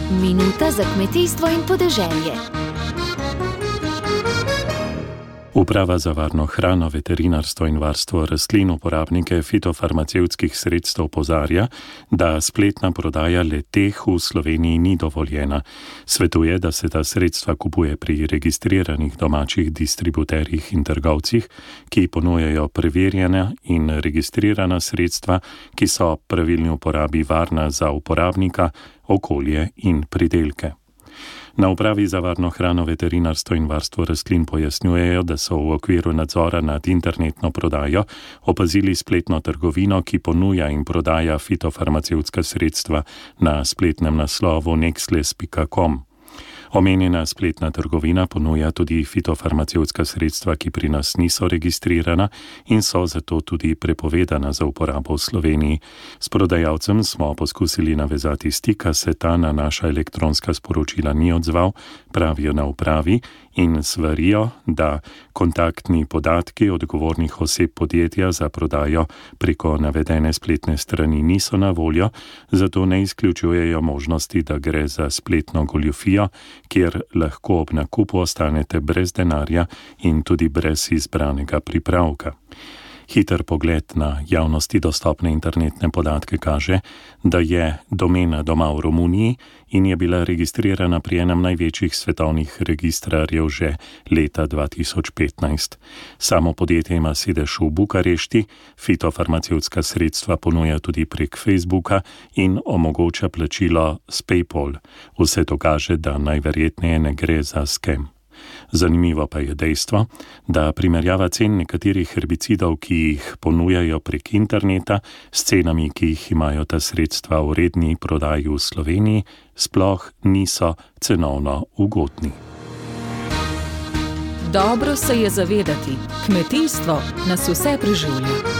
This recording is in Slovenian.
Minuta za kmetijstvo in podeželje. Uprava za varno hrano, veterinarstvo in varstvo rastlin uporabnike fitofarmacevtskih sredstev opozarja, da spletna prodaja le-teh v Sloveniji ni dovoljena. Svetuje, da se ta sredstva kupuje pri registriranih domačih distributerjih in trgovcih, ki ponujajo preverjena in registrirana sredstva, ki so pravilni uporabi varna za uporabnika, okolje in pridelke. Na Upravi za varno hrano, veterinarstvo in varstvo rastlin pojasnjujejo, da so v okviru nadzora nad internetno prodajo opazili spletno trgovino, ki ponuja in prodaja fitofarmacevtska sredstva na spletnem naslovu nexles.com. Omenjena spletna trgovina ponuja tudi fitofarmacevtska sredstva, ki pri nas niso registrirana in so zato tudi prepovedana za uporabo v Sloveniji. S prodajalcem smo poskusili navezati stik, a se ta na naša elektronska sporočila ni odzval, pravijo na upravi in svarijo, da kontaktni podatki odgovornih oseb podjetja za prodajo preko navedene spletne strani niso na voljo, zato ne izključujejo možnosti, da gre za spletno goljufijo, kjer lahko ob nakupu ostanete brez denarja in tudi brez izbranega pripravka. Hiter pogled na javnosti dostopne internetne podatke kaže, da je domena doma v Romuniji in je bila registrirana pri enem največjih svetovnih registrarjev že leta 2015. Samo podjetje ima sedež v Bukarešti, fitofarmacevtska sredstva ponuja tudi prek Facebooka in omogoča plačilo s PayPal. Vse to kaže, da najverjetneje ne gre za skem. Zanimivo pa je dejstvo, da primerjava cen nekaterih herbicidov, ki jih ponujajo prek interneta, s cenami, ki jih imajo ta sredstva v redni prodaji v Sloveniji, sploh niso cenovno ugodni. Dobro se je zavedati, kmetijstvo nas vse preživlja.